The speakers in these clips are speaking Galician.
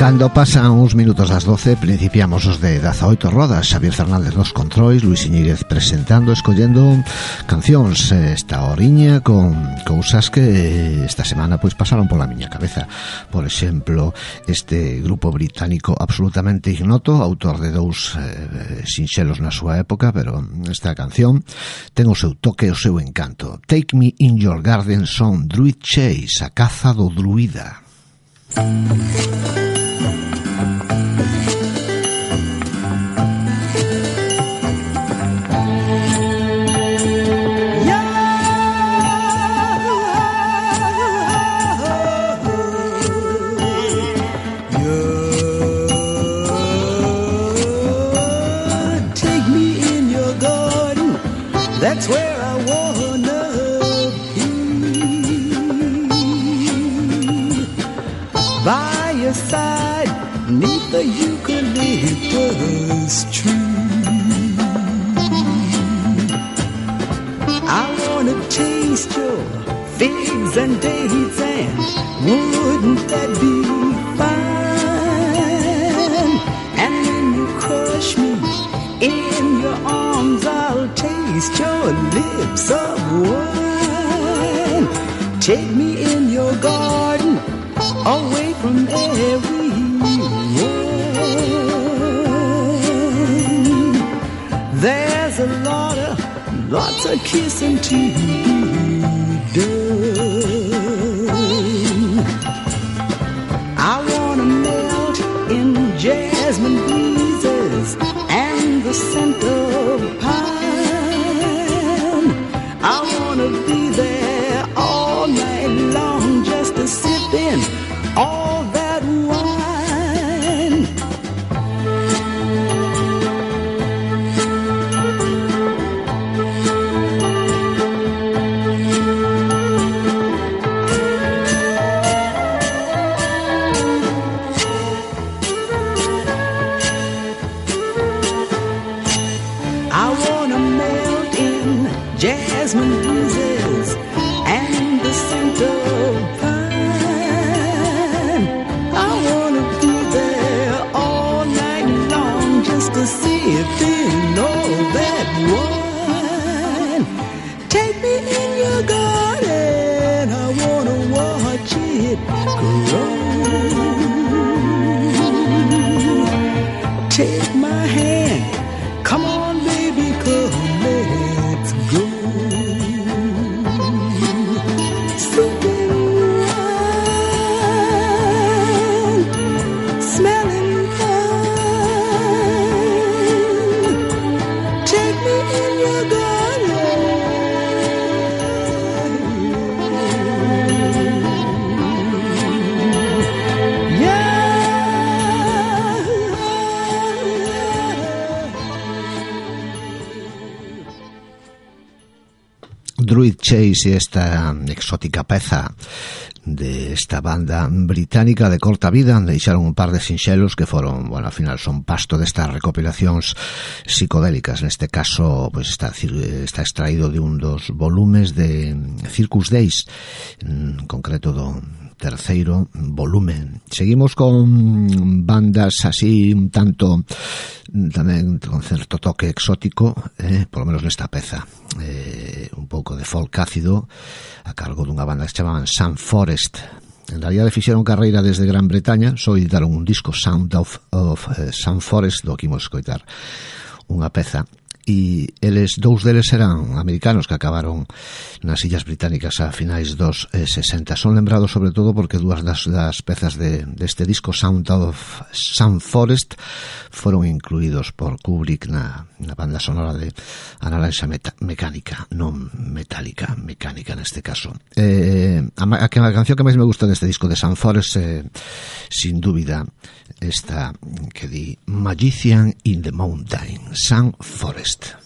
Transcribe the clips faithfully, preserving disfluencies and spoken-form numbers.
Cando pasan uns minutos das doce, principiamos os de dezaoito rodas. Xavier Fernández nos controis, Luis Iñiguez presentando, escollendo cancións esta horiña con cousas que esta semana pois pasaron pola miña cabeza. Por exemplo, este grupo británico absolutamente ignoto, autor de dous eh, sinxelos na súa época, pero esta canción ten o seu toque, o seu encanto. Take Me In Your Garden son Druid Chase, a caza do druida. That's where I wanna be, by your side, neath the eucalyptus tree. I wanna taste your figs and dates, and wouldn't that be fine? And when you crush me in your arms, I'll taste your lips of wine. Take me in your garden, away from everyone. There's a lot of, lots of kissing to be done. I wanna melt in jasmine breezes and the scent of pine. I wanna be there all night long, just a sipping all that wine. I wanna melt in jasmine breezes and the scent of pine. I wanna be there all night long, just to sipping all that wine. Take me in your garden, I wanna watch it grow. Take my hand, come on baby, come let's go. Sipping wine, smelling fine. Take me in your garden. Yeah. Druid Chase e esta exótica peza de esta banda británica de corta vida deixaron un par de sinxelos que foron, bueno, al final son pasto destas recopilacións psicodélicas. Neste caso, pues está, está extraído de un dos volumes de Circus Days, en concreto do terceiro volumen. Seguimos con bandas así un tanto tamén con certo toque exótico, eh, por lo menos nesta peza, eh, un pouco de folk ácido a cargo dunha banda que se chamaban Sun Forest. En realidad fixeron carreira desde Gran Bretaña, só editaron un disco, Sound of, of uh, Sun Forest, do que imos escoitar unha peza. E eles, dous deles eran americanos que acabaron nas Illas Británicas a finais dos eh, sesenta. Son lembrados sobre todo porque dúas das, das pezas de, deste disco, Sound of Sun Forest, foron incluídos por Kubrick na, na banda sonora de A Naranja Mecánica, non metálica, mecánica neste caso. Eh, a, a, a canción que máis me gusta deste disco de Sun Forest, eh, sin dúbida, esta que di Magician in the Mountain, Sun Forest.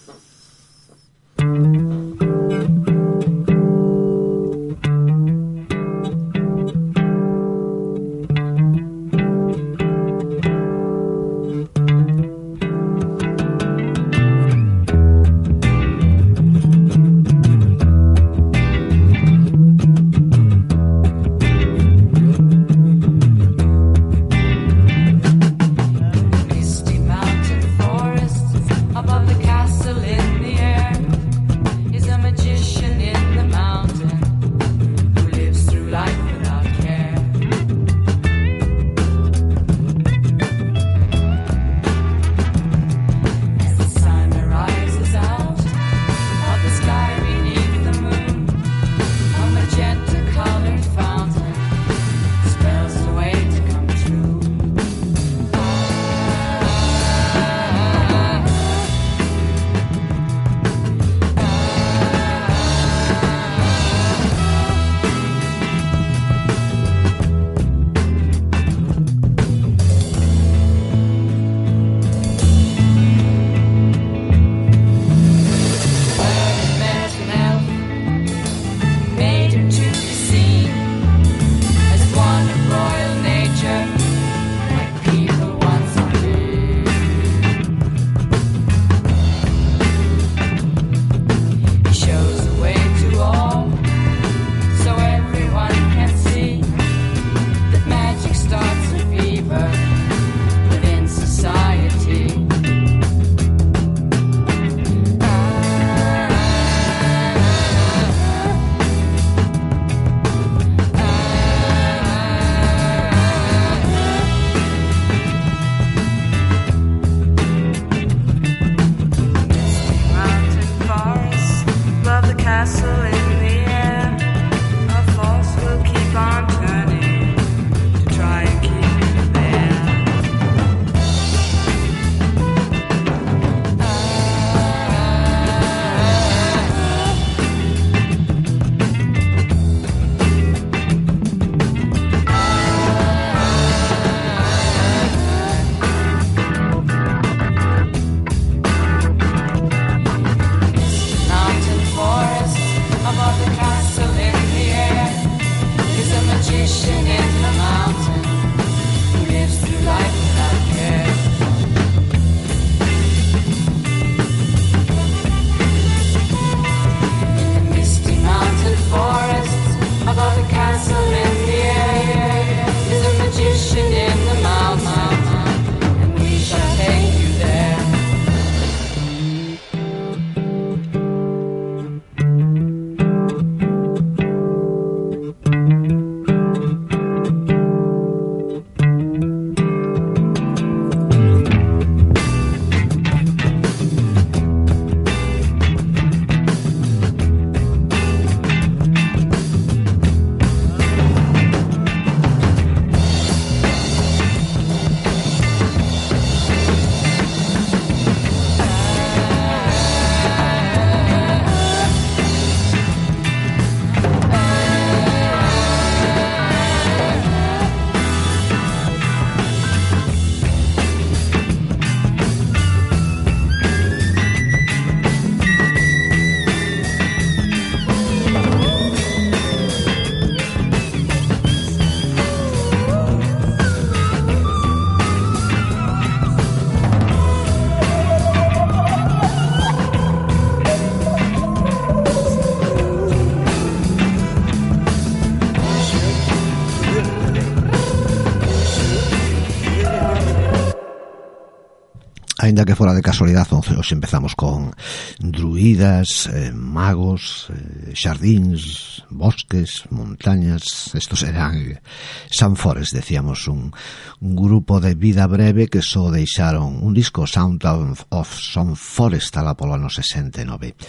Ainda que fora de casualidade, hoxe empezamos con druidas, eh, magos, eh, xardíns, bosques, montañas. Estos eran Sun Forest, decíamos, un, un grupo de vida breve que só deixaron un disco, Sound of, of Sun Forest, ala polo ano sesenta e nove.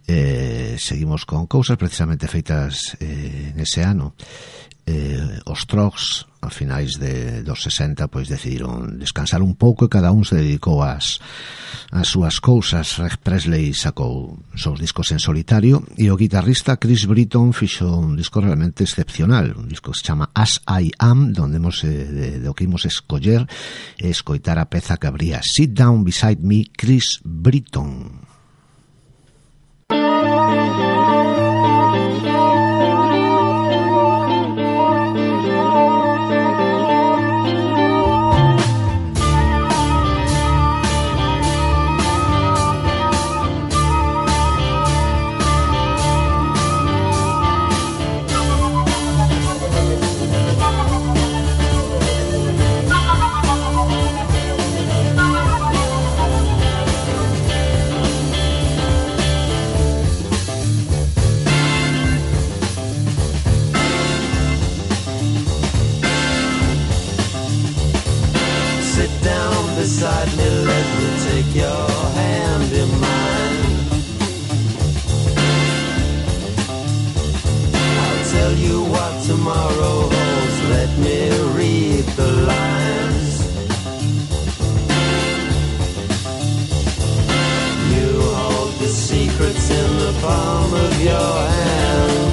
Eh, seguimos con cousas precisamente feitas eh, nese ano. Eh, os Trogs, a finais de, dos sesenta, pois decidiron descansar un pouco e cada un se dedicou ás, ás súas cousas. Rick Presley sacou seus discos en solitario e o guitarrista Chris Britton fixo un disco realmente excepcional, un disco que se chama As I Am, donde hemos, eh, de, de o que imos escoller e escoitar a peza que abría Sit Down Beside Me, Chris Britton. Beside me, let me take your hand in mine. I'll tell you what tomorrow holds. Let me read the lines. You hold the secrets in the palm of your hand.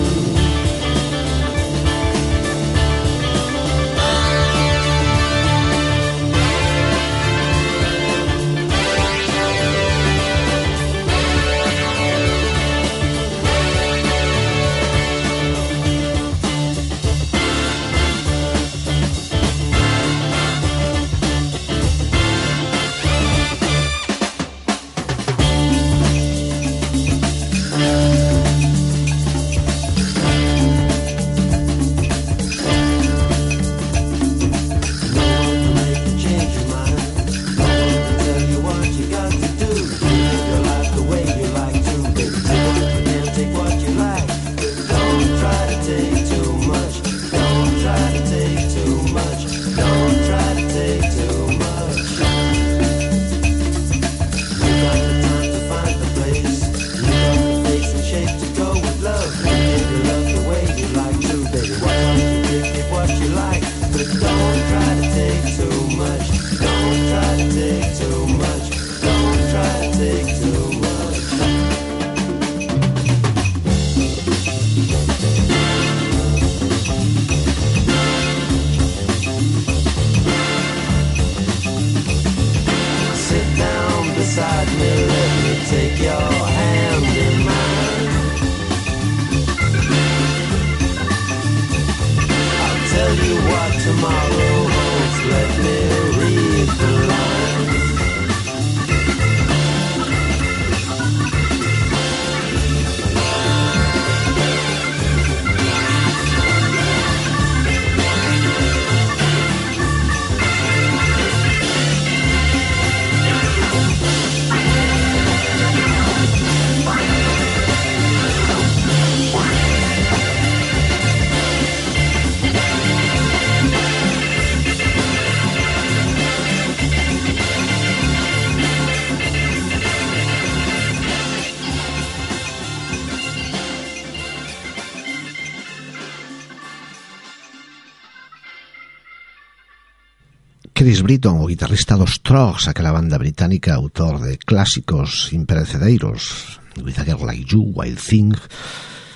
Chris Britton, o guitarrista dos Trogs, aquela banda británica, autor de clásicos imperecedeiros, With a Girl Like You, Wild Thing,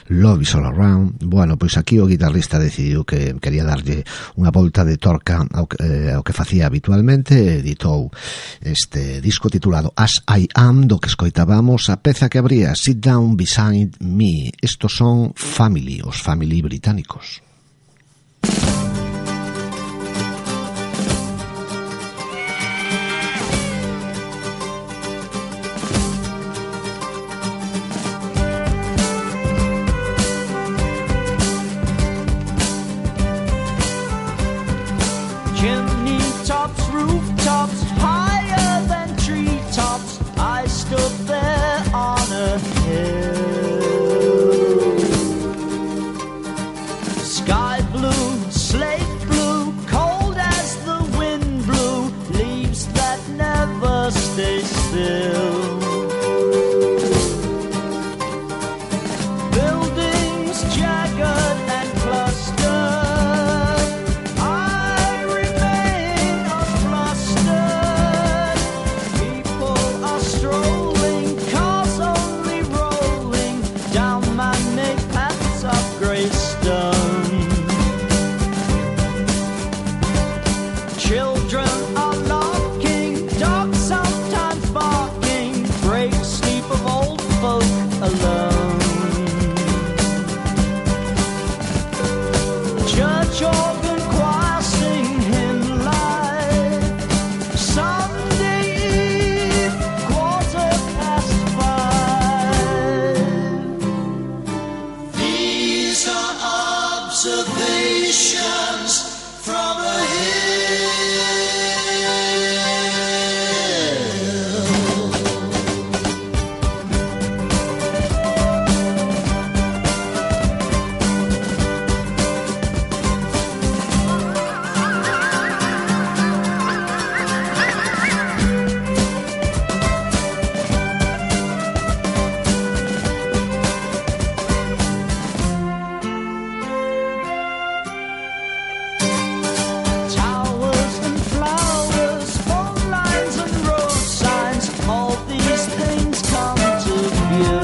Love Is All Around. Bueno, pois aquí o guitarrista decidiu que quería darlle unha volta de torca ao que, eh, ao que facía habitualmente. Editou este disco titulado As I Am, do que escoitábamos a peza que abría Sit Down Beside Me. Estos son Family, os Family británicos. Chimney tops, rooftops, higher than trees. church organ choir sing hymn live. Sunday Eve, quarter past five. These are observations from a hill. Towers and flowers, phone lines and road signs, all these things come to view.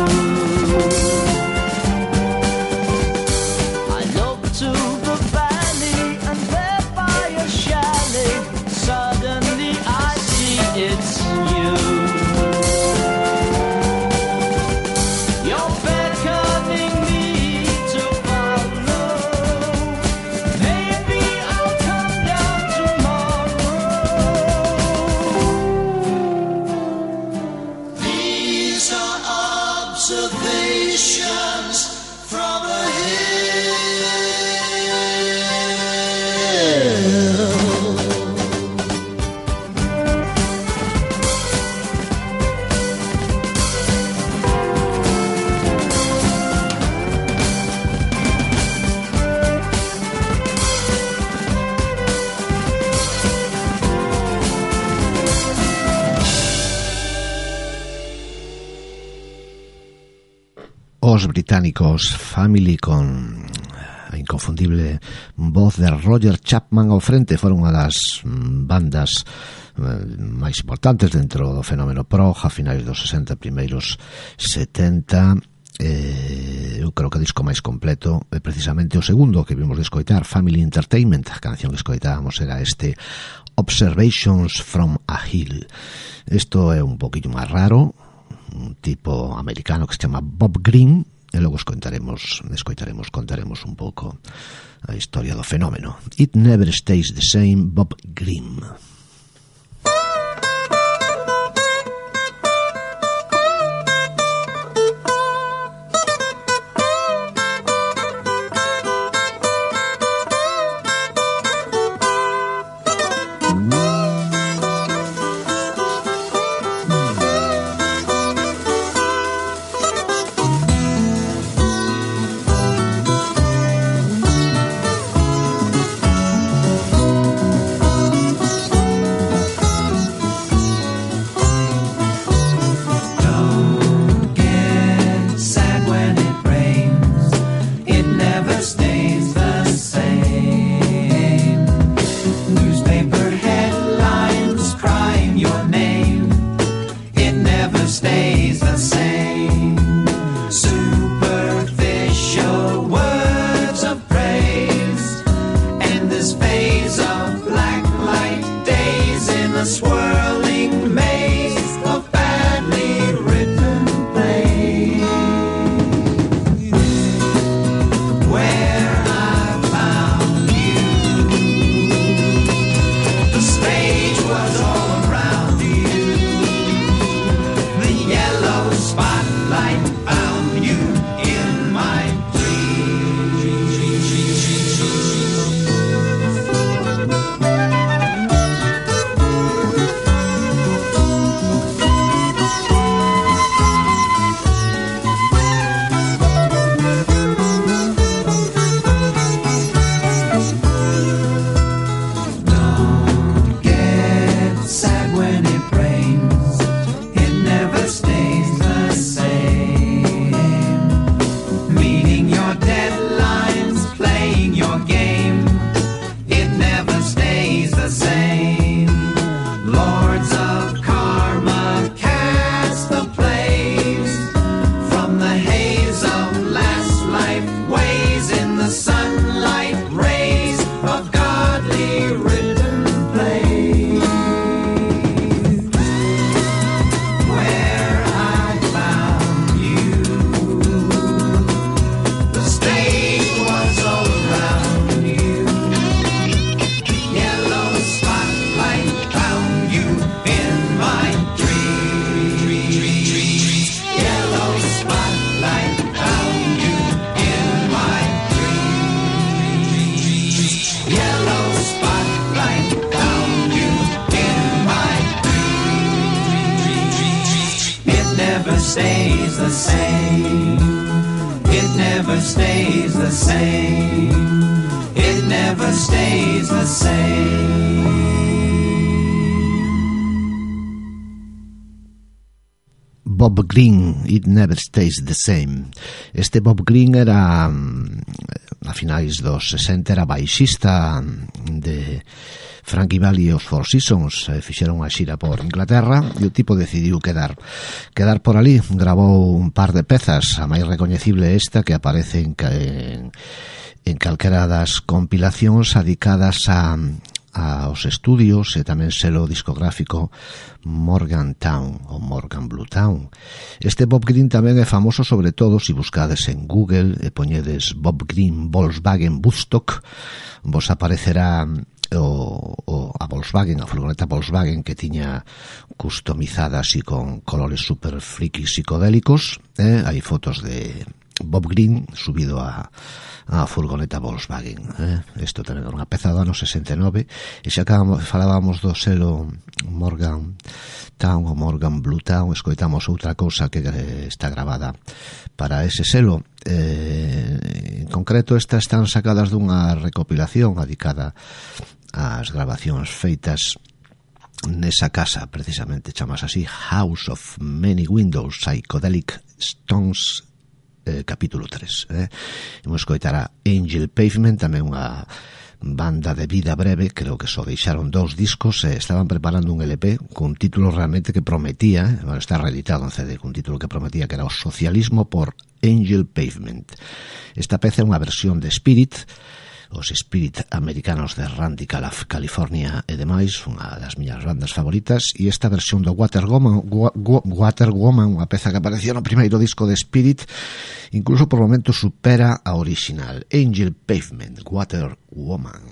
I look to the valley and there by a chalet, suddenly I see it's you. You're beckoning me to follow. Maybe I'll come down tomorrow. These are observations from a hill. Os británicos Family, con a inconfundible voz de Roger Chapman ao frente, foron unha das bandas máis importantes dentro do fenómeno prog a finais dos sesenta, primeiros setenta. Eh, eu creo que o disco máis completo é precisamente o segundo que vimos de escoitar, Family Entertainment. A canción que escoitábamos era este Observations from a Hill. Isto é un poquillo máis raro, un tipo americano que se chama Bob Green, e logo escoitaremos, escoitaremos, contaremos un pouco a historia do fenómeno. It Never Stays the Same, Bob Green. Thank stays the same. It never stays the same. It never stays the same. Bob Green, It Never Stays the Same. Este Bob Green era, a finais dos sesenta, era baixista de Frankie Valli e os Four Seasons. Fixeron unha xira por Inglaterra e o tipo decidiu quedar quedar por ali. Gravou un par de pezas, a máis recoñecible esta que aparece en, en, en calquera das compilacións adicadas a aos estudios e tamén selo discográfico Morgantown ou Morgan Blue Town. Este Bob Green tamén é famoso sobre todo se buscades en Google e poñedes Bob Green Volkswagen Woodstock, vos aparecerá o, o, a Volkswagen, a furgoneta Volkswagen que tiña customizada así con colores super friki psicodélicos, eh? Hai fotos de Bob Green subido a a furgoneta Volkswagen, eh? Isto tamén era unha peza do ano sesenta e nove. E xa que falábamos do selo Morgan Town ou Morgan Blue Town, escoitamos outra cousa que está grabada para ese selo. Eh, en concreto, estas están sacadas dunha recopilación dedicada ás grabacións feitas nesa casa, precisamente chamas así, House of Many Windows, Psychedelic Stones, Eh, capítulo tres. Eh? Imos escoitar a Angel Pavement, tamén unha banda de vida breve, creo que só deixaron dous discos e estaban preparando un L P cun título realmente que prometía, eh? Bueno, está reeditado en C D, cun título que prometía que era o socialismo por Angel Pavement. Esta peza é unha versión de Spirit, os Spirit americanos de Radical California e demais, unha das miñas bandas favoritas, e esta versión do Water Woman, Water Woman, unha peza que aparecía no primeiro disco de Spirit, incluso por momentos supera a original. Angel Pavement, Water Woman.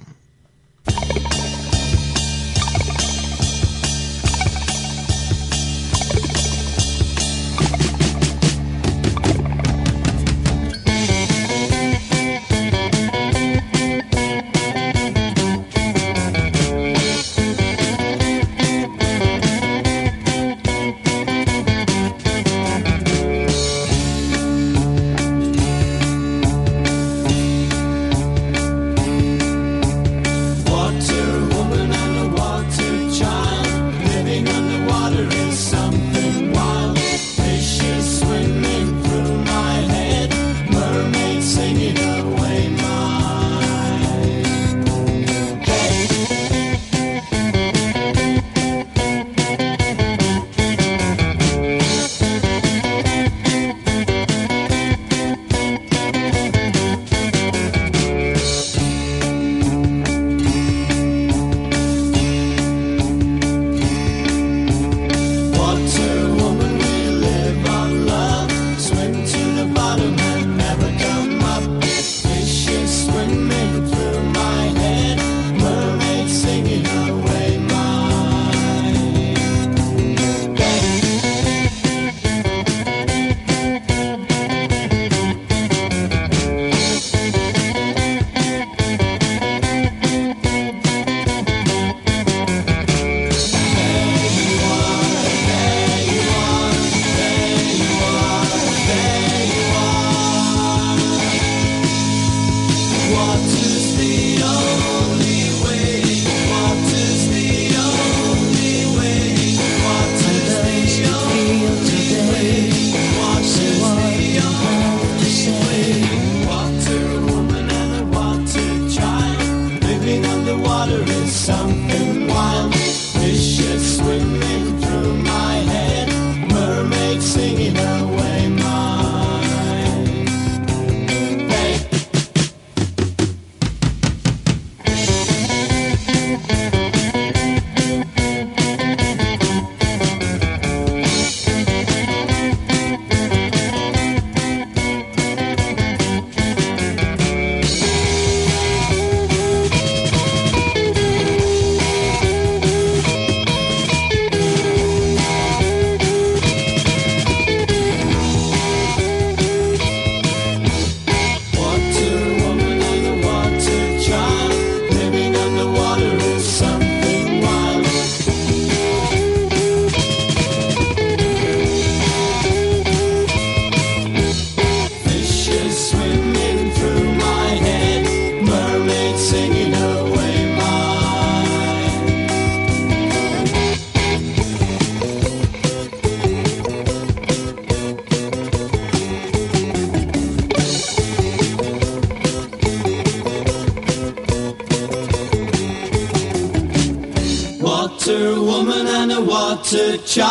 water child.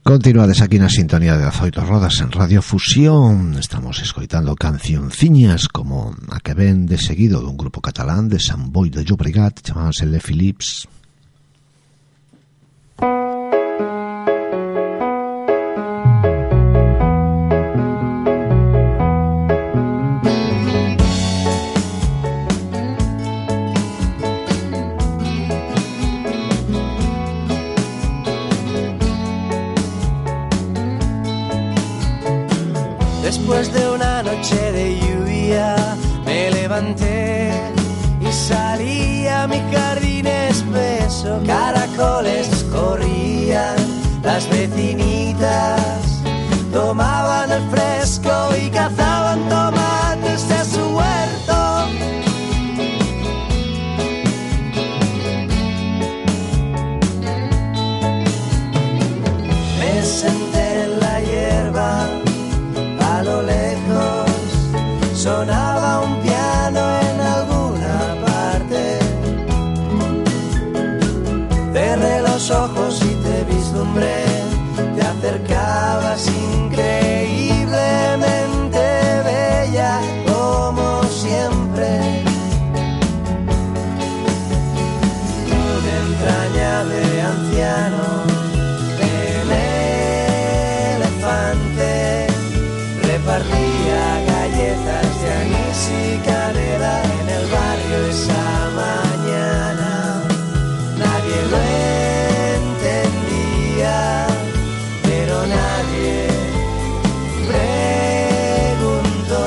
Continuades aquí na sintonía de Azoito Rodas en Radio Fusión. Estamos escoitando cancionciñas como a que ven de seguido dun grupo catalán de Sant Boi de Llobregat, chamábanse Le Philips. Después de una noche de lluvia me levanté y salí a mi jardín espeso. Caracoles corrían, las vecinitas tomaban el fresco y cazaban tomates de su huerto. Me senté en la hierba. A lo lejos sonaba un piano en alguna parte. Cerré los ojos y te vislumbré. Te acercabas increíblemente bella como siempre. Un entrañable anciano en elefante repartía galletas de anís y canela en el barrio esa mañana. Nadie lo entendía, pero nadie preguntó.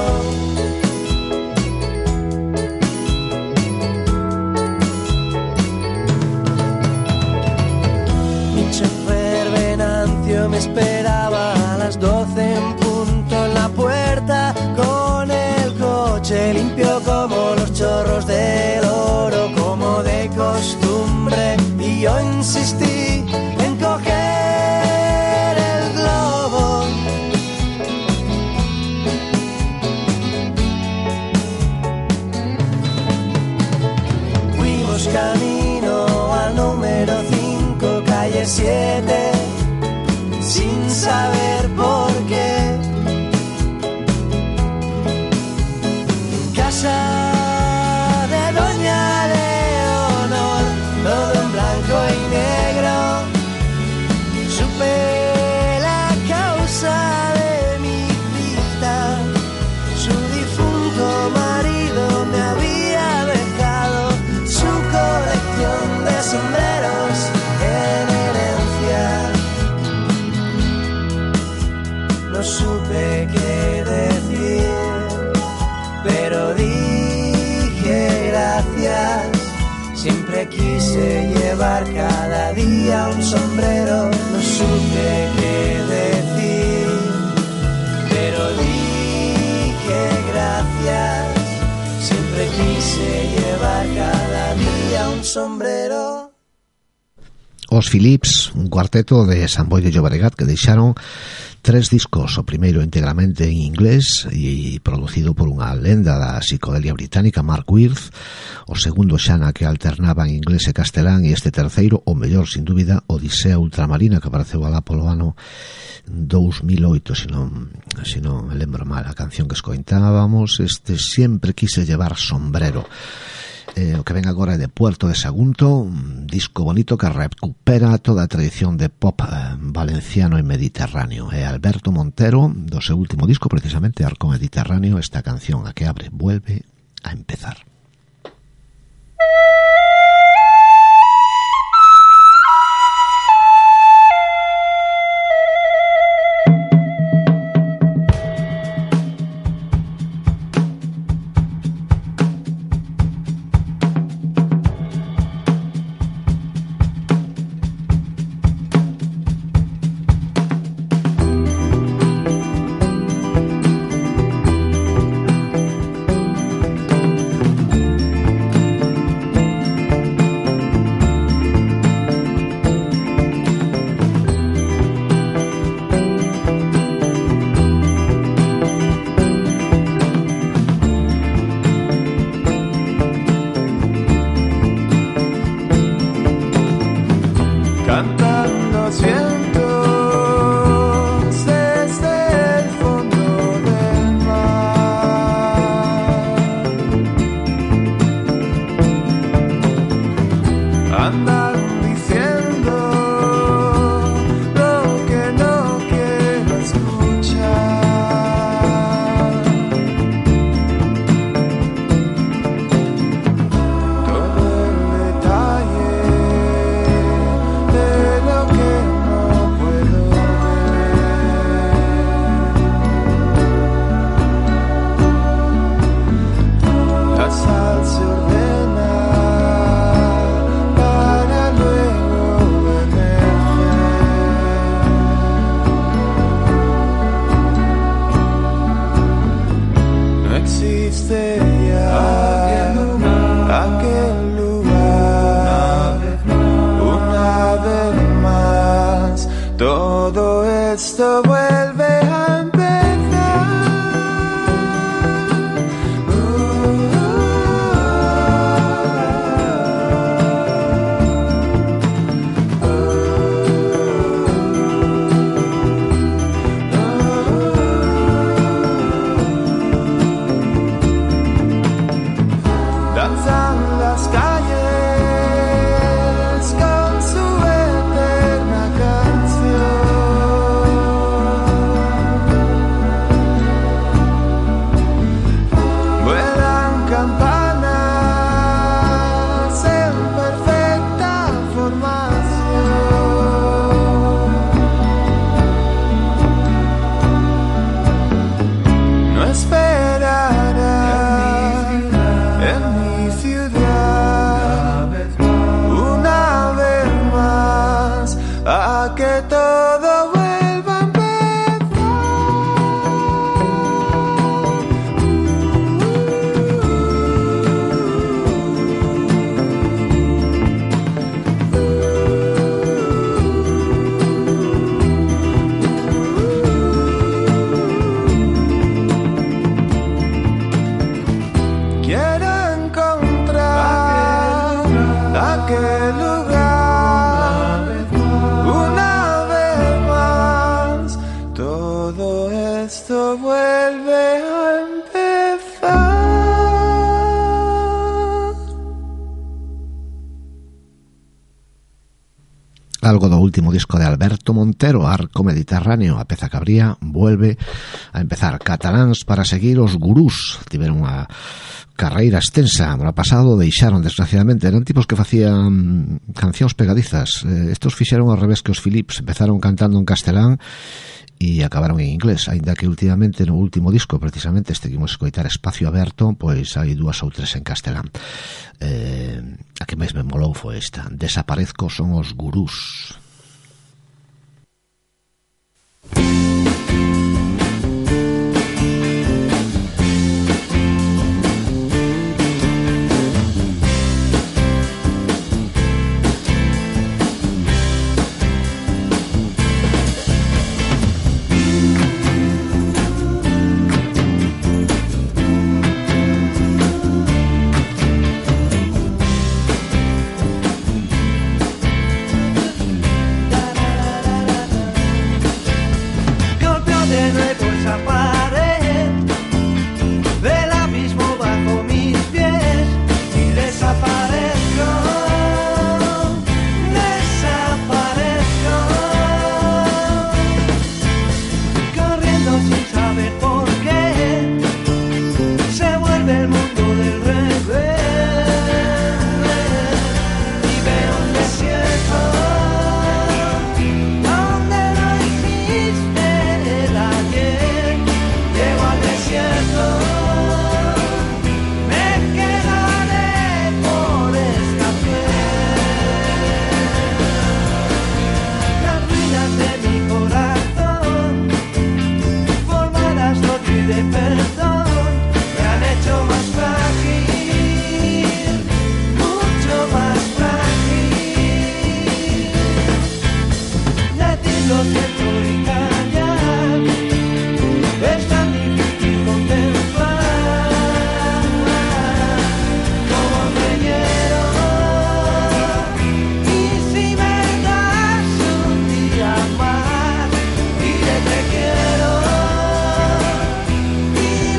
Mi chofer Venancio me esperaba a las doce en punto en la puerta con el coche limpio como los chorros del oro, como de costumbre, y yo insistí en coger el globo. Fuimos camino al número cinco, calle siete, sin saber por qué. Casa de Doña Leonor, todo en blanco y negro. Supe la causa de mi cita. Su difunto marido me había dejado su colección de sombreros en herencia. No supe qué decir, pero dije gracias. Siempre quise llevar cada día un sombrero. No supe qué decir, pero dije gracias. Siempre quise llevar cada día un sombrero. Os Philips, un cuarteto de Sant Boi de Llobregat que deixaron tres discos, o primeiro íntegramente en inglés e producido por unha lenda da psicodelia británica, Mark Wirth, o segundo xa na que alternaba en inglés e castelán, e este terceiro, o mellor sin dúbida, Odisea Ultramarina, que apareceu alá polo ano dous mil oito, se non, se non me lembro mal a canción que escoitábamos, este Siempre quise llevar sombrero. Eh, o que ven agora é de Puerto de Sagunto, un disco bonito que recupera toda a tradición de pop eh, valenciano e mediterráneo. É Alberto Montero, do seu último disco, precisamente Arco Mediterráneo, esta canción a que abre Vuelve a empezar. destellar aquel lugar una vez más. Todo esto vuelve a algo do último disco de Alberto Montero, Arco Mediterráneo, a peza que abría, vuelve a empezar. Cataláns para seguir os gurús, tiveron unha carreira extensa, no pasado deixaron, desgraciadamente, eran tipos que facían cancións pegadizas, eh, estos fixeron ao revés que os Philips, empezaron cantando en castelán e acabaron en inglés, aínda que últimamente no último disco, precisamente este que imos escoitar, Espacio Aberto, pois hai dúas ou tres en castelán. Eh, a que máis me molou foi esta, Desaparezco son os gurús. quiero y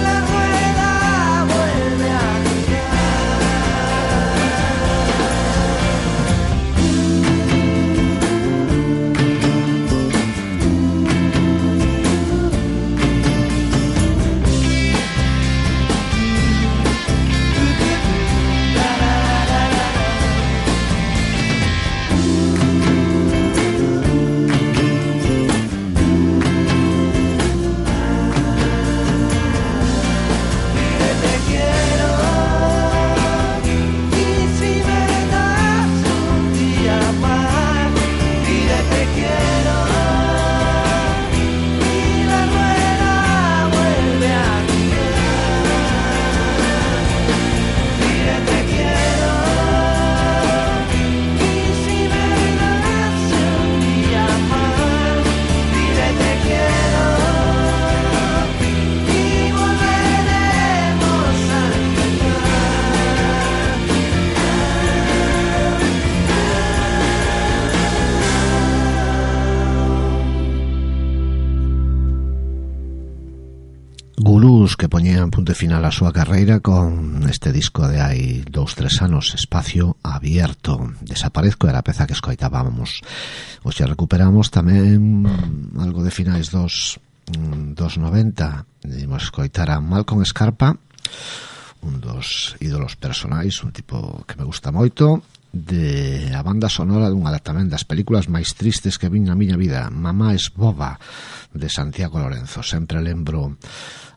Gurús que poñían punto final a súa carreira con este disco de hai dous, tres anos, Espacio Abierto. Desaparezco era a peza que escoitábamos. Hoxe recuperamos tamén algo de finais dos, dos noventa. Dimos escoitar a Malcolm Scarpa, un dos ídolos personais, un tipo que me gusta moito, de a banda sonora dunha tamén das películas máis tristes que vin na miña vida, Mamá es boba, de Santiago Lorenzo. Sempre lembro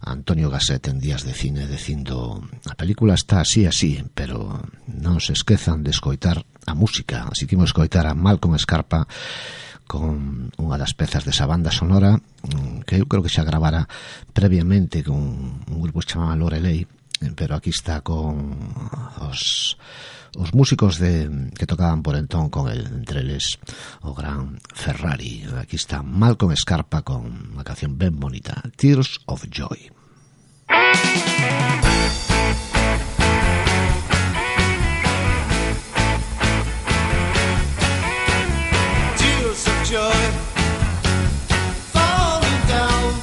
a Antonio Gasset en Días de Cine dicindo: a película está así así, pero non se esquezan de escoitar a música. Así que imos escoitar a Malcolm Scarpa con unha das pezas desa banda sonora que eu creo que xa gravara previamente con un grupo chamado Lorelei, pero aquí está con os os músicos de que tocaban por entón con el, entre eles o gran Ferrari. Aquí está Malcolm Scarpa con unha canción ben bonita, Tears of Joy. Tears of joy falling down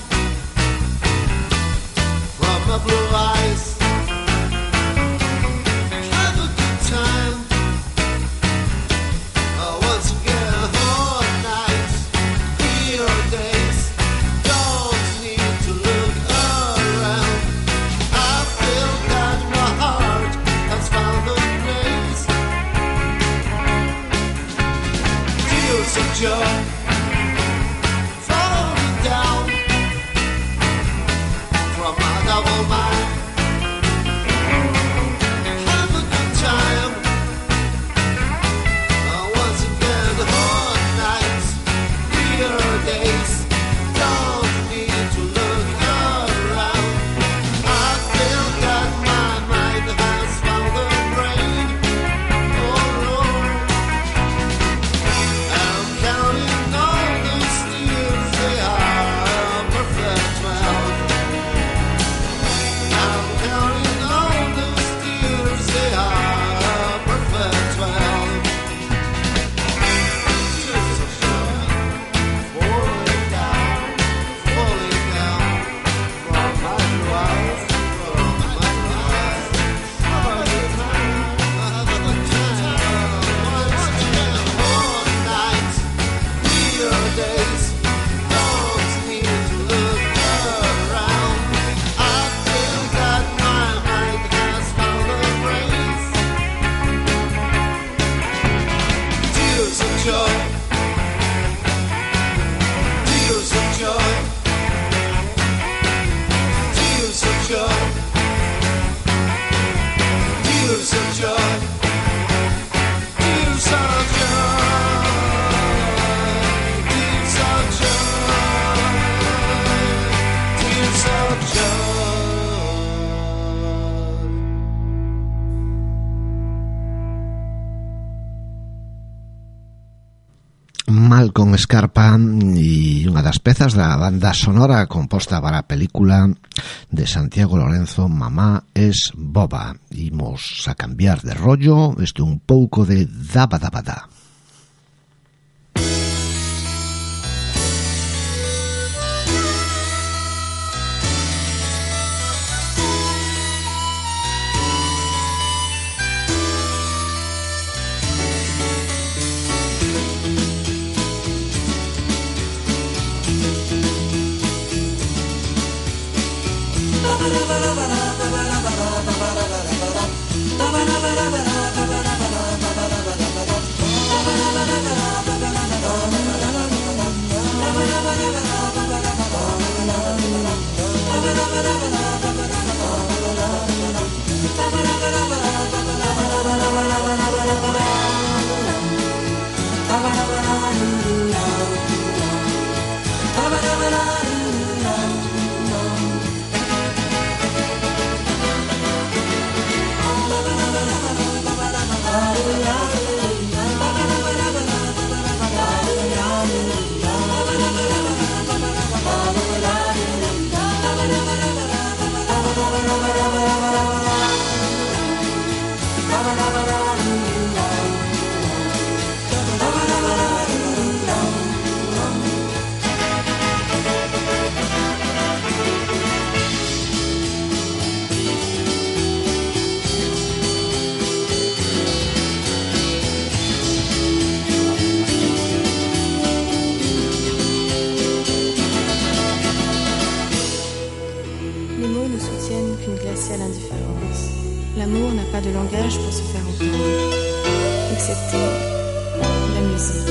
from my blue eyes. Joy falling down from my double mind. Have a good time. Once again, hot nights, clear days. Don't need to look around. I feel that my mind has found a brain. Oh no. Counting all those tears, they are perfect twelve. I'm counting all those tears, they are perfect twelve. Tears of joy falling down, falling down from my eyes, from my eyes. Have a good time, have a good time. Once again, all night. Your days don't need to look around. I feel that my mind has found a place. Tears of joy, tears of joy, tears of joy, tears of joy, tears of joy. Malcolm Scarpa e unha das pezas da banda sonora composta para a película de Santiago Lorenzo, Mamá es boba. Imos a cambiar de rollo, isto un pouco de dabadabada. les mots ne soutiennent qu'une glaciale indifférence. L'amour n'a pas de langage pour se faire entendre, excepté la musique.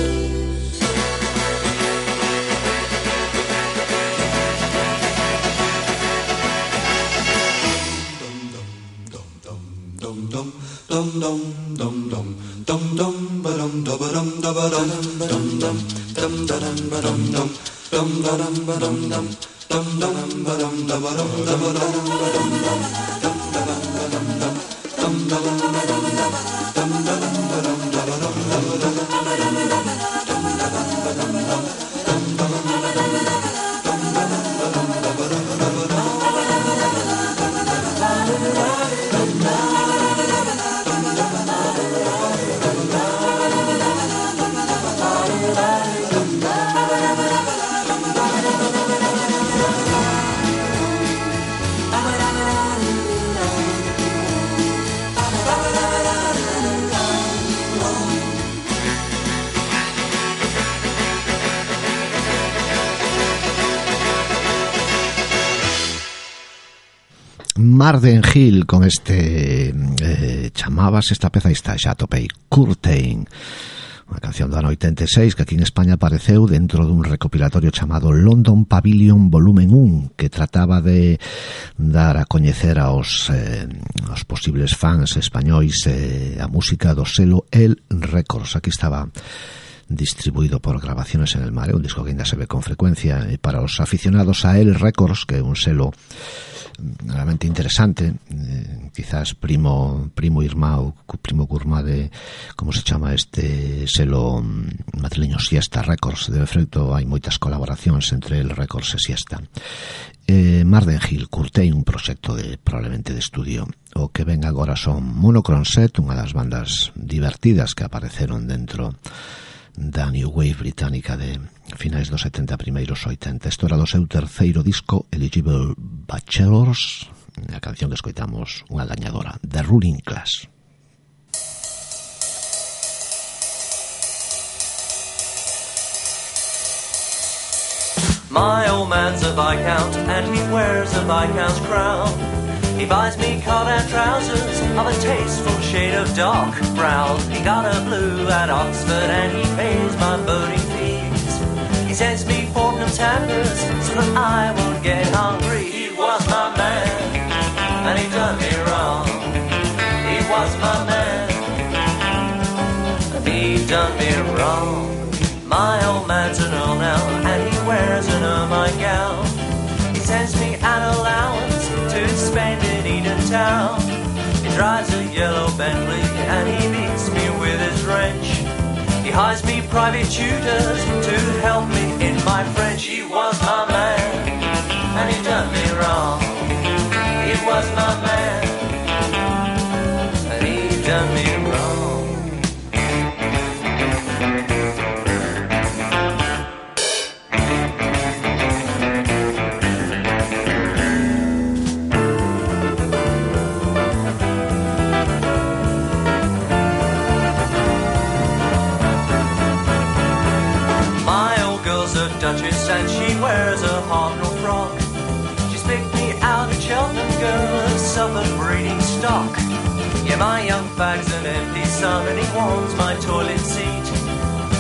Marden Hill con este eh, chamabas esta peza está xa topei Curtain, unha canción do ano oitenta e seis que aquí en España apareceu dentro dun recopilatorio chamado London Pavilion Volumen un, que trataba de dar a coñecer aos, eh, aos posibles fans españois eh, a música do selo El Records. Aquí estaba distribuído por Grabaciones en el Mar, un disco que ainda se ve con frecuencia, e para os aficionados a El Records, que é un selo realmente interesante, eh, quizás primo primo irmão, primo curmá de como se chama este selo madrileño Siesta Records. De efecto hai moitas colaboracións entre El Records e Siesta. eh, Marden Hill, Curtain, un proxecto de probablemente de estudio. O que ven agora son Monochrome Set, unha das bandas divertidas que apareceron dentro da New Wave británica de finais dos setenta, primeiros oitenta. Isto era do seu terceiro disco, Eligible Bachelors, a canción que escoitamos, unha gañadora, The Ruling Class. My old man's a Viscount and he wears a Viscount's crown. He buys me cut-out trousers of a tasteful shade of dark brown. He got a blue at Oxford and he pays my boating fees. He sends me Fortnum's hampers so that I won't get hungry. He was my man and he done me wrong. He was my man and he done me wrong. My old man's an earl now and he wears an ermine gown. He sends me an allowance to spend in Eden Town. He drives a yellow Bentley and he beats me with his wrench. He hires me private tutors to help me in my French. He was my man and he done me wrong. He was my man and he done me wrong. Duchess and she wears a hobnail frock. She's picked me out at Cheltenham, girl of Suffolk breeding stock. Yeah, my young fag's an empty son and he wants my toilet seat.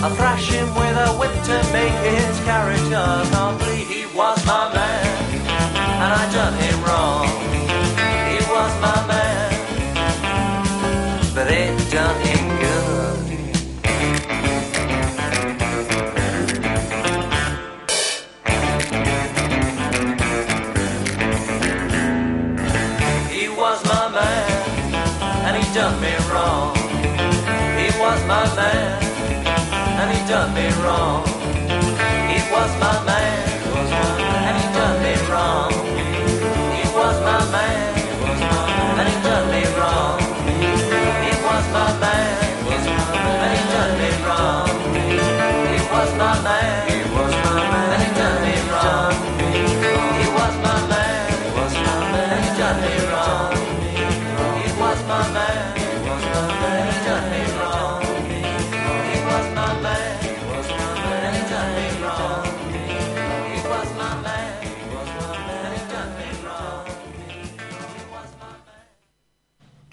I thrash him with a whip to make his character complete. He was my man and I done him wrong. He was my man, but it done him good. Done me wrong. He was my man and he done me wrong. He was my man and he done me wrong. He was my man and he done me wrong. He was my man and he done me wrong. He was my man and he done me wrong. He was my man and he done me wrong. He was my man.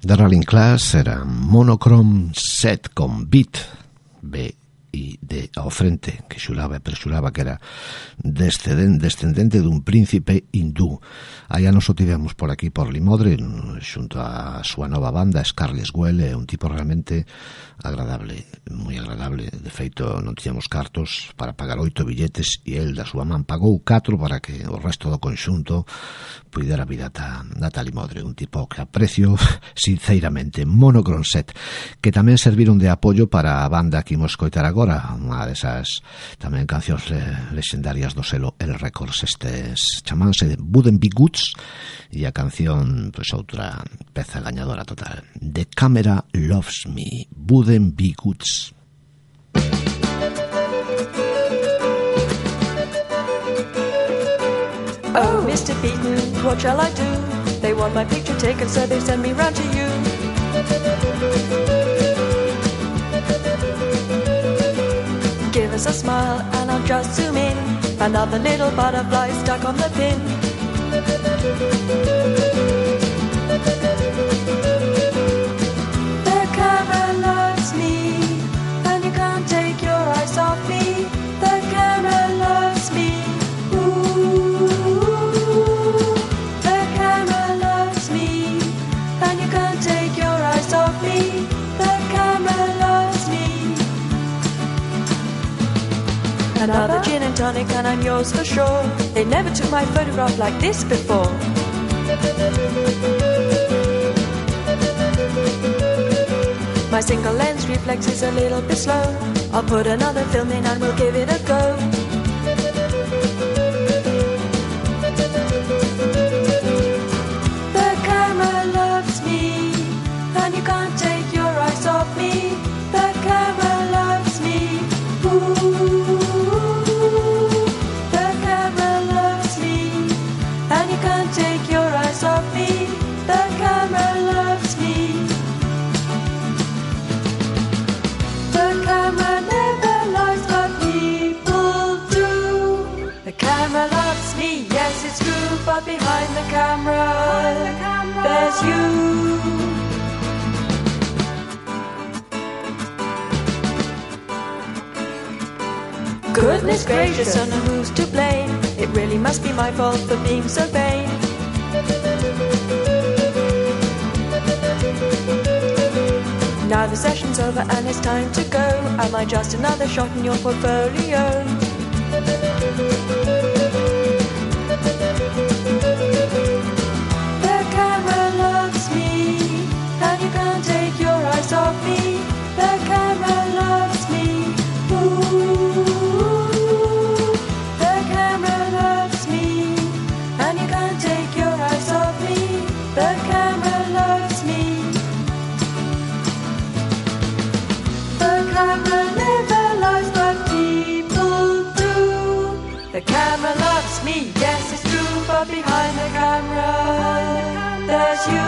The Rolling Class era Monochrome Set con Beat, B e D ao frente, que xuraba e prexuraba que era descendente dun príncipe hindú. Aí nos o tivemos por aquí por Limodre xunto a súa nova banda Scarlet Well, é un tipo realmente agradable, moi agradable. De feito non tiñamos cartos para pagar oito billetes e el da súa man pagou catro para que o resto do conxunto puidera vir ata, ata Limodre. Un tipo que aprecio sinceramente. Monochrome Set, que tamén serviron de apoio para a banda que imos coitar agora, unha desas tamén cancións lexendarias do selo El Records. Estes chamanse Wouldn't Be Goods e a canción, pois outra peza gañadora total, The Camera Loves Me, Wouldn't Be Goods. Oh, Mister Beaton, what shall I do? They want my picture taken, so they send me round to you. Give us a smile and I'll just zoom in. Another little butterfly stuck on the pin. The camera loves me, and you can't take your eyes off me. The camera loves me. Ooh, the camera loves me, and you can't take your eyes off me. The camera loves me. Another gin and tonic and I'm yours for sure. They never took my photograph like this before. My single lens reflex is a little bit slow. I'll put another film in and we'll give it a go. The camera loves me, and you can't take your eyes off me. The camera loves me. Ooh, the camera loves me, and you can't take your eyes off me. The camera loves me. The camera never lies, but people do. The camera loves me, yes it's true, but behind the camera, there's you. Goodness gracious, I know who's to blame. It really must be my fault for being so vain. Now the session's over and it's time to go. Am I just another shot in your portfolio? The camera loves me, and you can't take your eyes off me. The camera loves me. Ooh, the camera loves me, and you can't take your eyes off me. The camera loves me. The camera never lies, but people do. The camera loves me, yes it's true, but behind the camera, there's you.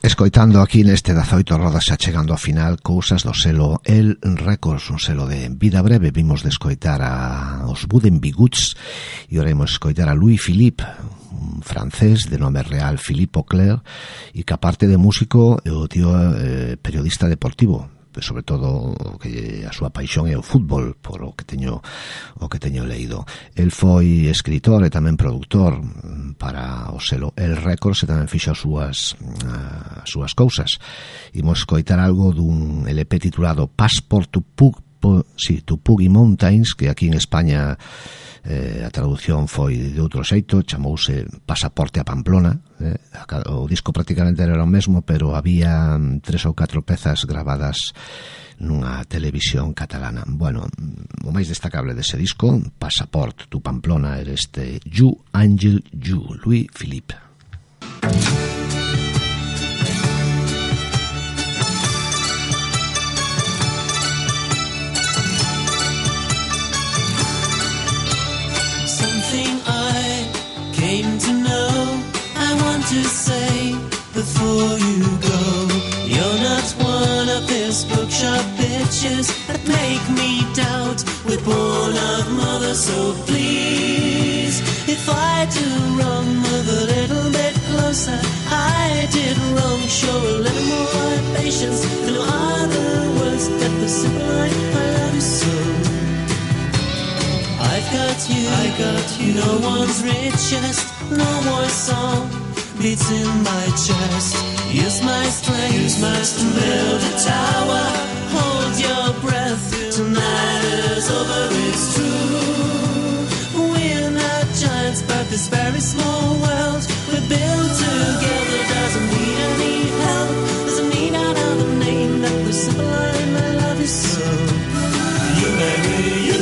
Escoitando aquí neste dezaoito rodas xa chegando ao final, cousas do selo El Records, un selo de vida breve. Vimos de escoitar a os Wouldn't Be Goods e ora imos escoitar a Louis Philippe, un francés de nome real Philippe Auclair, e que aparte de músico é o tío eh, periodista deportivo. Sobre todo o que a súa paixón é o fútbol, por o que teño o que teño leído. El foi escritor e tamén productor para o selo El Records e tamén fixo as súas as súas cousas. Imos coitar algo dun L P titulado Passport to Pug, sí, to Puggy Mountains, que aquí en España eh, a traducción foi de outro xeito, chamouse Pasaporte a Pamplona. eh, o disco prácticamente era o mesmo, pero había tres ou catro pezas gravadas nunha televisión catalana. Bueno, o máis destacable dese disco, Passport to Pamplona, era este You Angel You, Louis Philippe. Something I came to know, I want to say before you go, you're not one of these bookshop bitches that make me doubt we're born of mother. So please, if I do wrong, move a little bit closer. I did wrong, show a little more patience. No other words but the simple line, I love you so. I've got you, I got you. No one's richest, no more song beats in my chest. Use my strength, use my strength to build a tower. Hold your breath, tonight is over, it's true. We're not giants, but this very small world we built together doesn't need any help. Doesn't need another name that the simple line, I love you so. You marry you.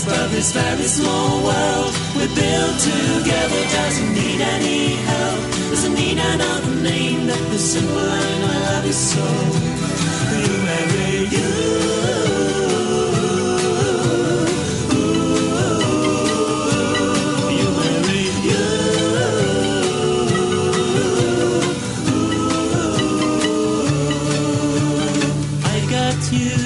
But this very small world we built together doesn't need any help. Doesn't need another name that the simple line, I love you so. You marry you. You marry you. I got you.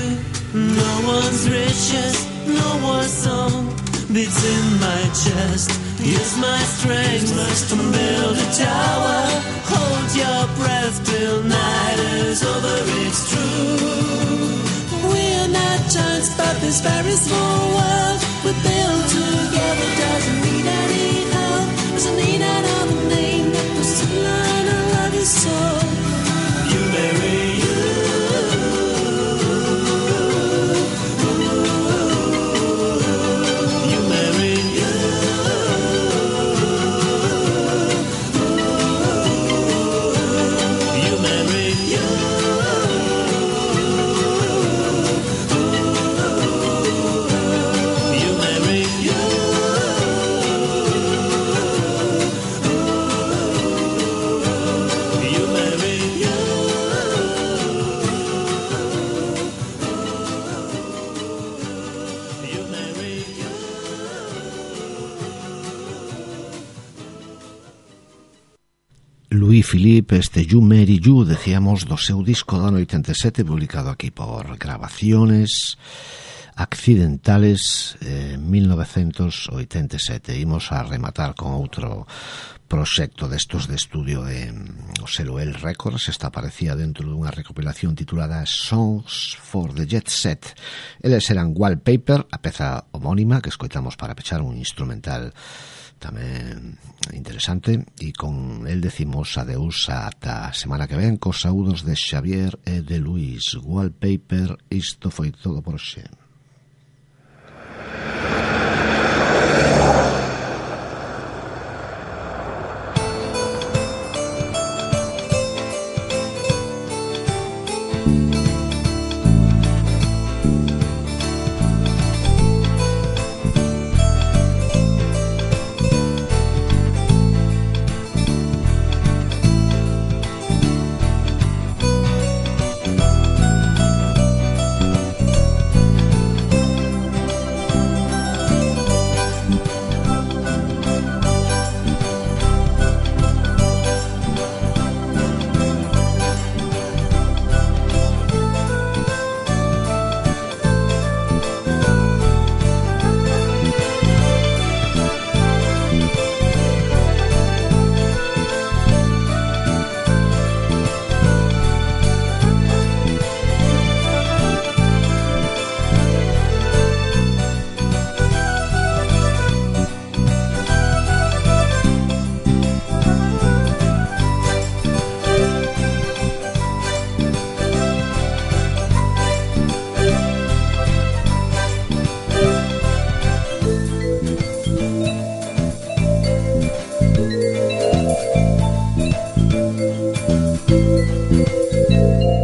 No one's richest, no more song beats in my chest. Use my strength to build a tower. Hold your breath till night is over, it's true. We're not giants, but this very small world we built together doesn't need any help. Doesn't need another name that was to line, I love you so. You marry you. Louis Philippe, este You Marry You, decíamos, do seu disco do ano oitenta e sete, publicado aquí por Grabaciones Accidentales, eh, mil novecentos oitenta e sete. Imos a rematar con outro proxecto destos de estudio de o selo El Records. Esta aparecía dentro dunha recopilación titulada Songs for the Jet Set. Eles eran Wallpaper, a peza homónima que escoitamos para pechar, un instrumental tamén interesante, e con el decimos adeus ata a semana que ven cos saúdos de Xavier e de Luis. Wallpaper, isto foi todo por xe. Thank you.